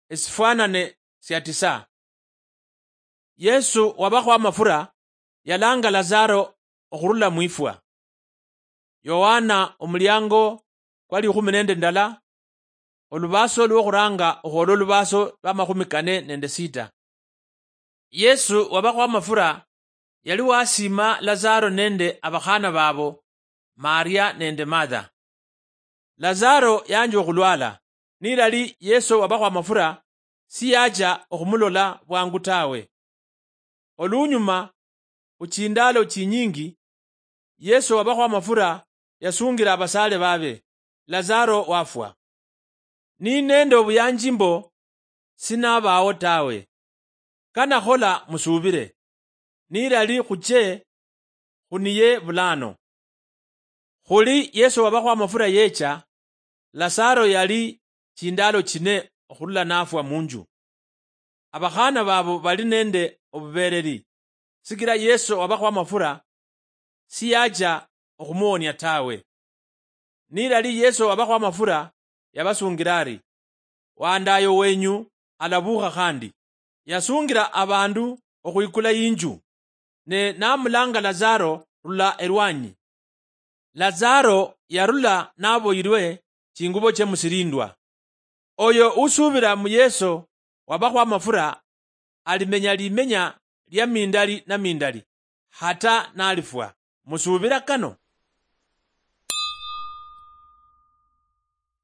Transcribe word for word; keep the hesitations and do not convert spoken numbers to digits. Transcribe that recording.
esifwanane sia tisa. Yesu wabakhwa amafura yalanga Lazaro okhurula mwifwa. Yohana omuliango kwa likhumi nende ndala, olubaso lwokhuranga okhwola olubaso lwa makhumi kane nende sita. Yesu wabakhwa amafura yali wasima Lazaro nende abakhana babo, Maria nende Martha. Lazaro yanja okhulwala, nilali Yesu wabakhwa amafura siyacha okhumulola bwangu tawe. Olunyuma, khuchindaalo chinyingi, Yesu wabakhwa amafura yasungira abasaale babe, Lazaro wafwa. Ni nende obuyanji mbo sinabawo tawe. Kanakhola musubire, nilali khuche khuniye bulano. Khuli Yesu wabakhwa amafura yecha, Lazaro yali chindaalo chine okhurula nafwa munju. Abakhana babo bali nende obubereri, sikila Yesu wabakhwa amafura siyacha okhumuwonia tawe. Nilali Yesu wabakhwa amafura, yabasungira ari, "Wandayo wenyu alabukha khandi." Yasungira abandu okhwikula inju, ne namulanga Lazaro rula erwanyi. Lazaro yarula naboyirwe chingubo chie musirindwa. Oyo usubira mu Yesu wabakhwa amafura alimenya limenya lia mindali na mindali, hata nalifwa. Musubira kano?